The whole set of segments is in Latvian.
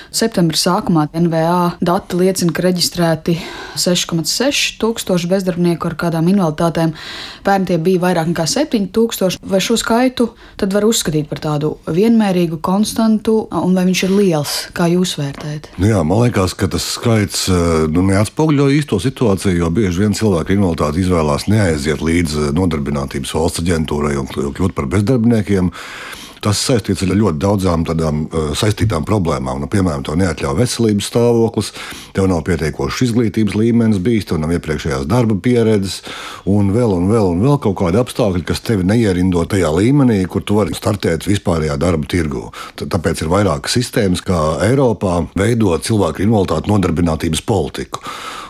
Septembra sākumā NVA dati liecina, ka reģistrēti 6,6 tūkstoši bezdarbnieku ar kādām invaliditātēm. Pērn tie bija vairāk nekā 7,000. Vai šo skaitu tad var uzskatīt par tādu vienmērīgu, konstantu, un vai viņš ir liels? Kā jūs vērtējat? Jā, man liekas, ka tas skaits neatspoguļo īsto situāciju, jo bieži vien cilvēki ar invaliditāti izvēlās neaiziet līdz Nodarbinātības valsts aģentūrai un kļūt par bezdarbniekiem. Tas saistīts ar ļoti daudzām tādām saistītām problēmām. Nu, piemēram, tev neatļauj veselības stāvoklis, tev nav pietiekošs izglītības līmenis bijis, tev nav iepriekšējās darba pieredzes un vēl kaut kādi apstākļi, kas tevi neierindo tajā līmenī, kur tu vari startēt vispārējā darba tirgū. Tāpēc ir vairākas sistēmas, kā Eiropā veidot cilvēku ar invaliditāti nodarbinātības politiku.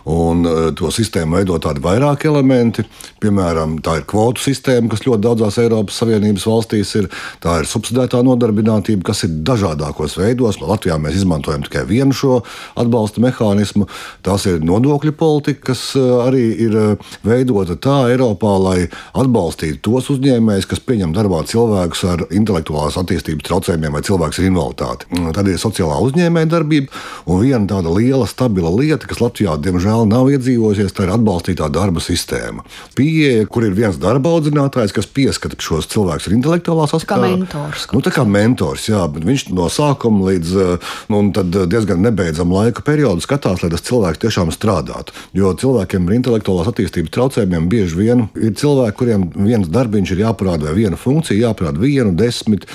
Un to sistēmu veido tādi vairāki elementi. Piemēram, tā ir kvotu sistēma, kas ļoti daudzās Eiropas Savienības valstīs ir. Tā ir subsidētā nodarbinātība, kas ir dažādākos veidos. Latvijā mēs izmantojam tikai vienu šo atbalsta mehānismu. Tās ir nodokļu politika, kas arī ir veidota tā Eiropā, lai atbalstītu tos uzņēmējus, kas pieņem darbā cilvēkus ar intelektuālās attīstības traucējumiem vai cilvēkus ar invaliditāti. Tad ir sociālā uzņēmēja darbība, un viena tāda liela, stabila lieta, kas Latvijā, diemžēl, nav iedzīvojusies, tā ir atbalstītā darba sistēma. Pieeja, kur ir viens darba audzinātājs, kas pieskata šos cilvēkus ar intelektuālās aspektā. Tā kā mentors, jā, bet viņš no sākuma līdz tad diezgan nebeidzam laika periodu skatās, lai tas cilvēks tiešām strādātu. Jo cilvēkiem ar intelektuālās attīstības traucējumiem bieži vien ir cilvēki, kuriem viens darbiņš ir jāparāda vai viena funkcija jāparāda 1, 10,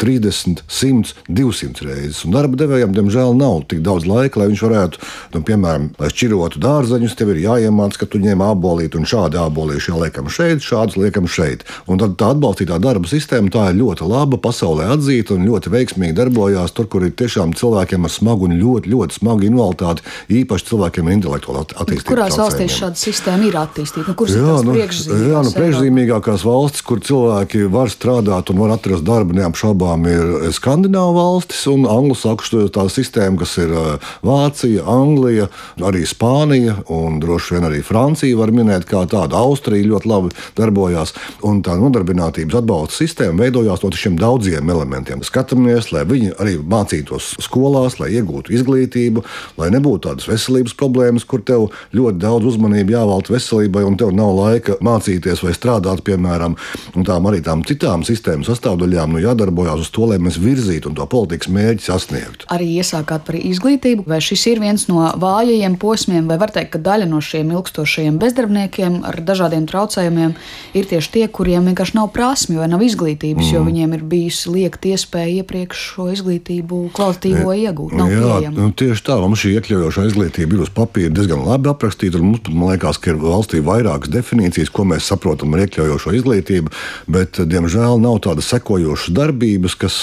30, 100, 200 reizes. Un darba devējiem, diemžēl, nav tik daudz laika, lai viņš varētu, piemēram, lai šķirotu dārzeņus, tev ir jāiemāc, ka tu ņem ābolīti un šādi ābolīši jāliekam šeit, šādus liekam šeit. Un tad tā atbalstītā darba sistēma, tā ir ļoti laba, pasaulē atzīta un ļoti veiksmīgi darbojās tur, kur ir tiešām cilvēkiem ar smagu un ļoti, ļoti smagu invaliditāti, īpaši cilvēkiem ar intelektuālo attīstības traucējumiem. Kurās valstīs šāda sistēma ir attīstīta? Kuras ir tās priekšzīmīgākās? Priekšzīmīgākās valstis, kur cilvēki var strādāt un var atrast darbu, neapšaubām ir Skandināvu valstis un anglosaksšu tā sistēma, kas ir Vācija, Anglija, arī Spānija un droši vien arī Francija var minēt kā tāda. Austrija ļoti labi darbojās. Un tā nodarbinātības atbalsta sistēma veidojās no šiem daudziem elementiem. Skatāmies, lai viņi arī mācītos skolās, lai iegūtu izglītību, lai nebūtu tādas veselības problēmas, kur tev ļoti daudz uzmanību jāvelta veselībai un tev nav laika mācīties vai strādāt, piemēram. Un tām citām sistēmas sastāvdaļām jādarbojās uz to, lai mēs virzītu un to politikas mērķi sasniegtu. Arī iesākāt par izglītību. Vai šis ir viens no vājajiem posmiem, vai var teikt, ka daļa no šiem ilgstošajiem bezdarbniekiem ar dažādiem traucējumiem ir tieši tie, kuriem vienkārši nav prasmi vai nav izglītības, jo viņiem ir bijusi liekta iespēja iepriekš šo izglītību kvalitatīvo iegūt? Tieši tā, mums šī iekļaujošā izglītība ir uz papīra diezgan labi aprakstīta, un mums, man liekas, ka ir valstī vairākas definīcijas, ko mēs saprotam ar iekļaujošo izglītību, bet, diemžēl, nav tādas sekojošas darbības, kas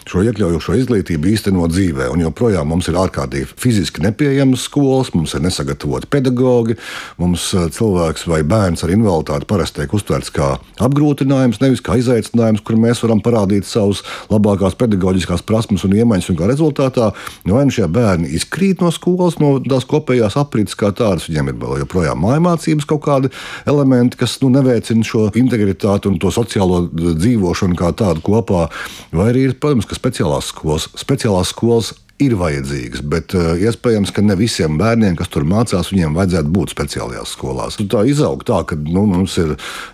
šo iekļaujošo izglītību īsteno dzīvē, un joprojām mums ir ārkārtīgi fiziski nepieejamas skolas, mums ir nesagatavoti pedagogi, mums cilvēks vai bērns ar invaliditāti parasti tiek uztverts kā apgrūtinājums, nevis kā izaicinājums, kur mēs varam parādīt savus labākās pedagoģiskās prasmes un iemaņas, un kā rezultātā vai nu šie bērni izkrīt no skolas, no tās kopējās aprits kā tādas, viņiem ir vēl joprojām mājmācības kaut kādi elementi, kas neveicina šo integritāti un to sociālo dzīvošanu kā tādu kopā, vai arī ir, protams, ka speciālās skolas ir vajadzīgas, bet iespējams, ka ne visiem bērniem, kas tur mācās, viņiem vajadzētu būt speciālajās skolās. Tā izaug tā, ka mums ir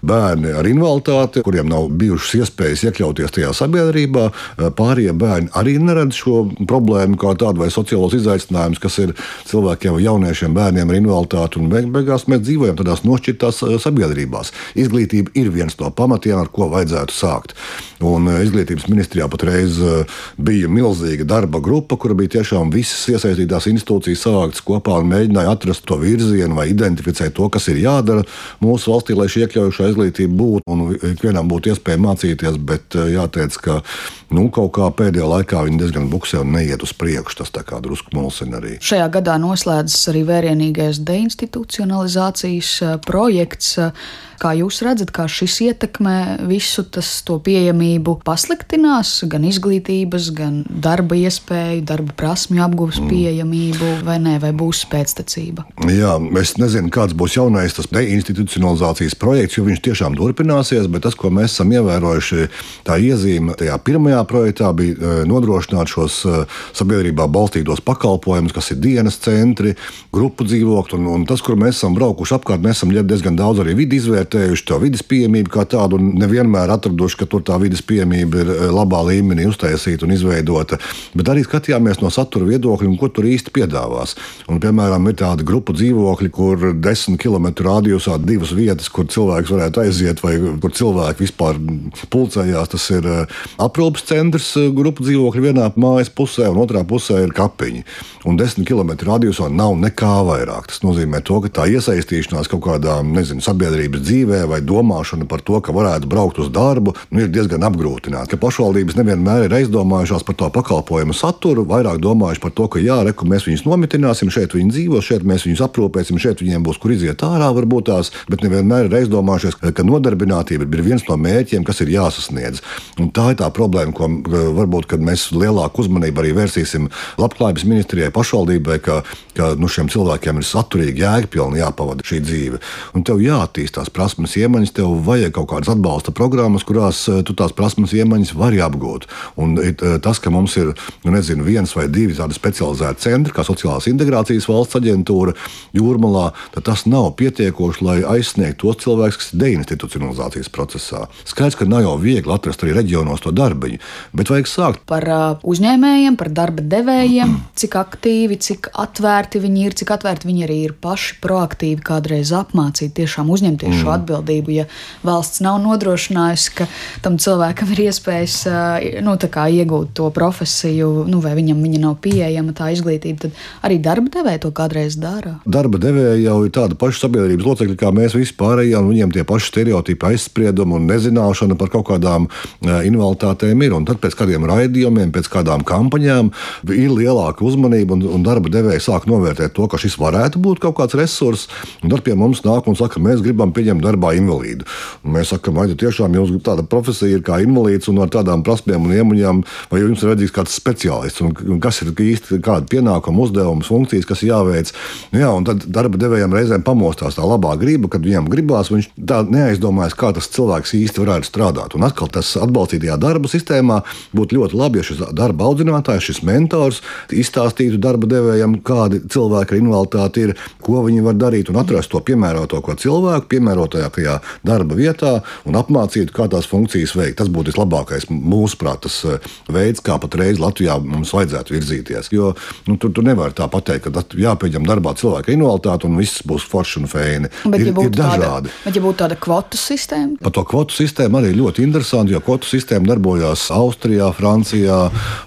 bērni ar invaliditāti, kuriem nav bijušas iespējas iekļauties tajā sabiedrībā. Pārējie bērni arī neredz šo problēmu kā tādu vai sociālos izaicinājumus, kas ir cilvēkiem vai jauniešiem bērniem ar invaliditāti, un beigās mēs dzīvojam tādās nošķirtās sabiedrībās. Izglītība ir viens no pamatiem, ar ko vajadzētu sākt. Un izglītības ministrijā patreiz bija milzīga darba grupa, kur bija tiešām visas iesaistītās institūcijas savāktas kopā un mēģināja atrast to virzienu vai identificēt to, kas ir jādara mūsu valstī, lai šī iekļaujošā izglītība būtu un ikvienam būtu iespēja mācīties, bet jāteic, ka kaut kā pēdējā laikā viņi diezgan buksē un neiet uz priekšu. Tas tā kā drusku mulsina arī. Šajā gadā noslēdzas arī vērienīgais deinstitucionalizācijas projekts. Kā jūs redzat, kā šis ietekmē visu to pieejamību pasliktinās, gan izglītības, gan darba iespēju, darba prasmju apgūves pieejamību, vai nē, vai būs pēctecība? Jā, es nezinu, kāds būs jaunais tas deinstitucionalizācijas projekts, jo viņš tiešām turpināsies, bet tas, ko mēs esam ievērojuši, tā iezīme tajā pirmajā projektā bija nodrošināt šos sabiedrībā balstītos pakalpojumus, kas ir dienas centri, grupu dzīvokļi, un tas, kur mēs esam braukuši apkārt, mēs esam diezgan daudz arī vidi izvērtējuši, to vides pieejamību kā tādu, un nevienmēr atraduši, ka tur tā vides pieejamība ir labā līmenī uztaisīta un izveidota, bet arī skatījāmies no satura viedokļa, ko tur īsti piedāvās. Un, piemēram, ir tādi grupu dzīvokļi, kur 10 km radiusā 2 vietas, kur cilvēks varētu aiziet, vai kur cilvēki vispār pulcējās. Tas ir aprūpes centrs, grupu dzīvokļi vienā mājas pusē, un otrā pusē ir kapiņi. Un 10 km radiusā nav nekā vairāk. Tas nozīmē to, ka tā iesaistīšanās kaut kādā, sabiedrības dzīvē vai domāšana par to, ka varētu braukt uz darbu, ir diezgan apgrūtināta. Ka pašvaldības nevienmēr ir aizdomājušās par to pakalpojumu saturu, vairāk domājuši par to, ka mēs viņus nomitināsim, šeit viņi dzīvo, šeit mēs viņus aprūpēsim, šeit viņiem būs kur iziet ārā varbūt tās, bet nevienmēr ir aizdomājušies, ka nodarbinātība ir viens no mērķiem, kas ir jāsasniedz. Un tā ir tā problēma, ko varbūt, kad mēs lielāku uzmanību arī vērsīsim Labklājības ministrijai, pašvaldībai, ka šiem cilvēkiem ir saturīgi, jēgpilni jāpavada šī dzīve. Un tev jāattīstās prasmes iemaņas, tev vajag kaut kādas atbalsta programmas, kurās tu tās prasmes iemaņas vari apgūt. Un tas, ka mums ir, 1 vai 2 tādi specializēti centri, kā Sociālās integrācijas valsts aģentūra Jūrmalā, tad tas nav pietiekoši, lai aizsniegtu tos cilvēkus, kas ir deinstitucionalizācijas procesā. Skaidrs, ka nav jau viegli atrast arī reģionos to darbiņu, bet vajag sākt. Par uzņēmējiem, par darba devējiem, cik aktīvi, cik atvērti viņi ir, cik atvērti viņi arī ir paši proaktīvi kādreiz apmācīt, tiešām uzņemties šo atbildību, ja valsts nav nodrošinājusi, ka tam cilvēkam ir iespējas iegūt to profesiju, vai viņam viņa nav pieejama tā izglītība, tad arī darba devēja to kādreiz dara. Darba devēja jau ir tāda paša sabiedrības locekļi, kā mēs visi pārējie, un viņiem tie paši stereotipi, aizspriedumi un nezināšana par kaut kādām invaliditātēm ir. Un tad pēc kādiem raidījumiem, pēc kādām kampaņām ir lielāka uzmanība, un darba devēja sāk novērtēt to, ka šis varētu būt kaut kāds resurss, un tad pie mums nāk un saka, mēs gribam pieņemt darbā invalīdu. Un mēs sakam, vai tiešām jums tāda profesija ir kā invalīds un ar tādām prasmēm un iemaņām, vai jums ir vajadzīgs kāds speciālists, un kas ir īsti kāda pienākuma, uzdevums, funkcijas, kas jāveic. Un tad darba devējiem reizēm pamostās tā labā griba, kad viņam gribās, viņš tā neaizdomājas, kā tas cilvēks īsti varētu strādāt. Un atkal tas atbalstītajā darba sistēmā būtu ļoti labi, ja šis darba audzinātājs, šis mentors izstāstītu darba devējiem, kādi cilvēki ar invaliditāti ir, ko viņi var darīt un atrast to piemērotāko cilvēku, piemērotākajā darba vietā un apmācītu, kā tās funkcijas veikt. Tas būtu vislabākais mūsuprāt tas veids, kā patreiz Latvijā mums vajadzētu virzīties. Jo tu nevari tā pateikt, ka jāpieņem darbā cilvēka invaliditāte un viss būs forši un feini. Ir dažādi. Bet ja būtu tāda kvotu sistēma? Par to kvotu sistēmu arī ļoti interesanti, jo kvotu sistēma darbojās Austrijā, Francijā,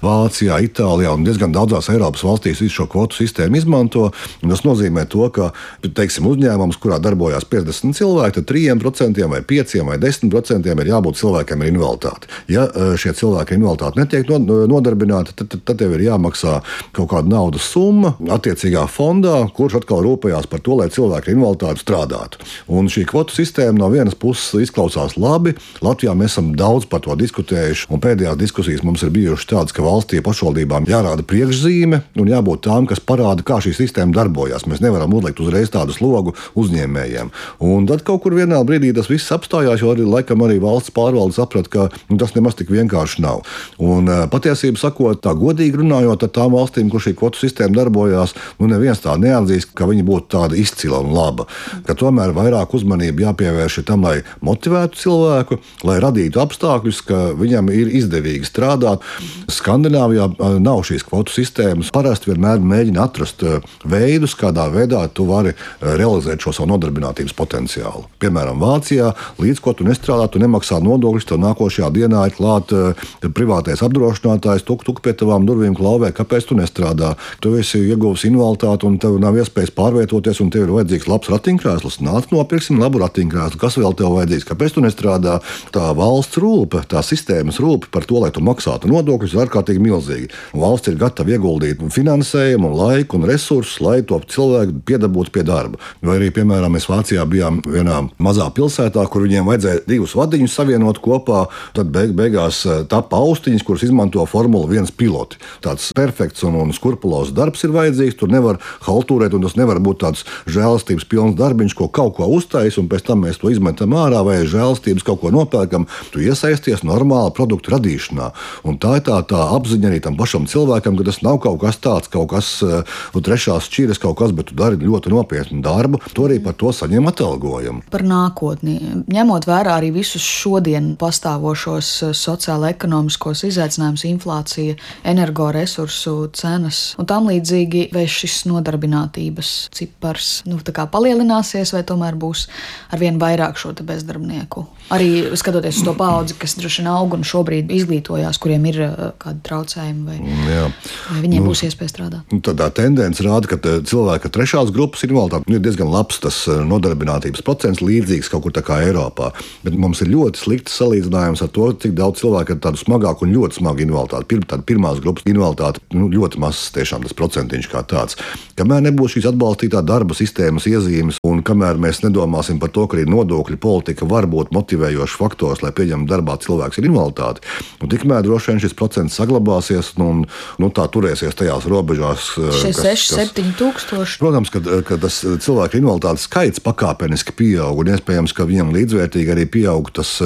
Vācijā, Itālijā un diezgan daudzās Eiropas valstīs visu šo kvotu sistēmu izmanto. Un tas nozīmē to, ka, teiksim, uzņēmums, kurā darbojās 50 cilvēki, tad 3% vai 5% vai 10% ir jābūt cilvēkiem ar invaliditāti. Ja šie cilvēki ar invaliditāti netiek nodarbināti, tad tev ir jāmaksā kaut kāda naudas summa attiecīgā fondā, kurš atkal rūpējās par to, lai cilvēki ar invaliditāti strādātu. Un šī kvotu sistēma no vienas puses izklausās labi. Latvijā mēs esam daudz par to diskutējuši, un pēdējās diskusijas mums ir bijušas tādas, ka valstī pašvaldībām jārāda priekšzīme un jābūt tām, kas parāda, kā šī sistēma darbojas. Mēs nevaram uzlikt uzreiz tādu slogu uzņēmējiem. Un tad kaut kur vienā brīdī tas viss apstājās, jo arī valsts pārvalde saprata, ka tas nemaz tik vienkārši nav. Un patiesībā sakot, tā godīgi runājot ar tām valstīm, kur šī kvotu sistēma darbojās, neviens tā neatzīst, ka viņa būtu tāda izcila un laba. Ka tomēr vairāk uzmanība jāpievērš tam, lai motivētu cilvēku, lai radītu apstākļus, ka viņam ir izdevīgi strādāt. Skandināvijā nav šīs kvotu sistēmas. Parasti vienmēr mēģina atrast veidus, kādā veidā tu vari realizēt šo savu nodarbinātības potenciālu. Piemēram, Vācijā, līdz ko tu nestrādā, tu nemaksā nodokļus, tev nākošajā dienā ir klāt privātais apdrošinātājs, tuk pie tavām durvīm klauvē, kāpēc tu nestrādā. Tu esi ieguvis invaliditāti un tev nav iespējas pārvietoties, un tev ir vajadzīgs labs ratiņkrēsls. Nāc, nopirksim labu ratiņkrēslu. Kas vēl tev vajadzīgs? Kāpēc tu nestrādā? Tā valsts rūpe, tā sistēmas rūpe par to, lai tu maksātu nodokļus, ir ārkārtīgi milzīga. Un valsts ir gatava ieguldīt finansējumu, laiku un resursus, lai to cilvēku piedabūtu pie darba. Vai arī, piemēram, mēs Vācijā bijām vienā mazā pilsētā, kur viņiem vajadzēja 2 vadiņus savienot kopā. Tad beigās tapa austiņas, kuras izmanto Formula 1 piloti. Tāds perfekts un skrupulozs darbs ir vajadzīgs. Tur nevar haltūrēt, un tas nevar būt tāds žēlastības pilns darbiņš, ko kaut ko uztais, un pēc tam mēs to izmetam ārā, vai žēlastības kaut ko nopērkam. Tu iesaisties normāla produktu radīšanā. Un tā ir tā apziņa arī tam pašam cilvēkam, ka tas nav kaut kas tāds, kaut kas trešās šķiras kaut kas, bet tu dari ļoti nopietnu darbu. Tu arī par to saņem atalgojumu. Par nākotni. Ņemot vērā arī visus šodien pastāvošos sociālo-ekonomiskos izaicinājumus, inflācija, energoresursu cenas un tam līdzīgi, vai šis nodarbinātības cipars palielināsies, vai tomēr būs arvien vairāk šo bezdarbnieku? Arī skatoties uz to paudzi, kas droši vien aug un šobrīd izglītojās, kuriem ir kādi traucējumi, vai viņiem būs iespēja strādāt. Tā tendence rāda, ka cilvēki ar trešās grupas invaliditāti ir diezgan labs tas nodarbinātības procents, līdzīgs kaut kur tā kā Eiropā. Bet mums ir ļoti slikts salīdzinājums ar to, cik daudz cilvēku ar tādu smagāku un ļoti smagu invaliditāti. Tāda pirmās grupas invaliditāte ļoti mazs tiešām tas procentiņš kā tāds. Kamēr nebūs šīs atbalstītā darba sistēmas iezīmes un kamēr mēs nedomāsim par to, ka arī nodokļu politika var būt motivējošs faktors, lai pieņemtu darbā cilvēks ar invaliditāti, tikmēr droši vien šis procents saglabāsies un tā turēsies tajās robežās. 6-7 tūkstoši. Protams, ka tas cilvēku invaliditātes skaits pakāpeniski pieaug un iespējams, ka viņam līdzvērtīgi arī pieaug tas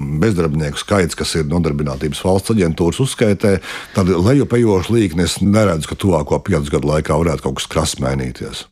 bezdarbnieku skaits, kas ir Nodarbinātības valsts aģentūras uzskaitē. Tad lejupējošu līkni es neredzu, ka tuvāko 5 gadu laikā varētu kaut kas krass mainīties.